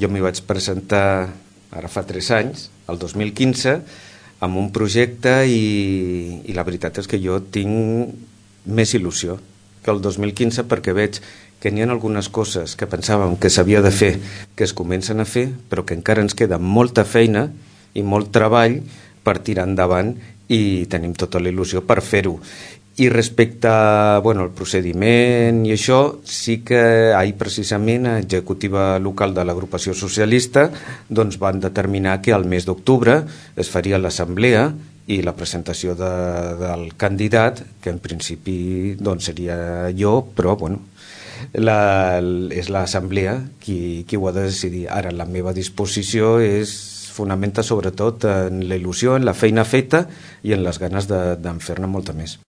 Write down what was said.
Jo m'hi vaig presentar ara fa 3 anys, el 2015, amb un projecte i la veritat és que jo tinc més il·lusió que el 2015 perquè veig que n'hi ha algunes coses que pensàvem que s'havia de fer, que es comencen a fer, però que encara ens queda molta feina i molt treball per tirar endavant i tenim tota la il·lusió per fer-ho. I respecte al procediment i això, sí que ahir precisament a Executiva Local de l'Agrupació Socialista van determinar que al mes d'octubre es faria l'assemblea i la presentació del candidat, que en principi seria jo, però és l'assemblea qui ho ha de decidir. Ara la meva disposició fonamenta sobretot en la il·lusió, en la feina feta i en les ganes de fer-ne molta més.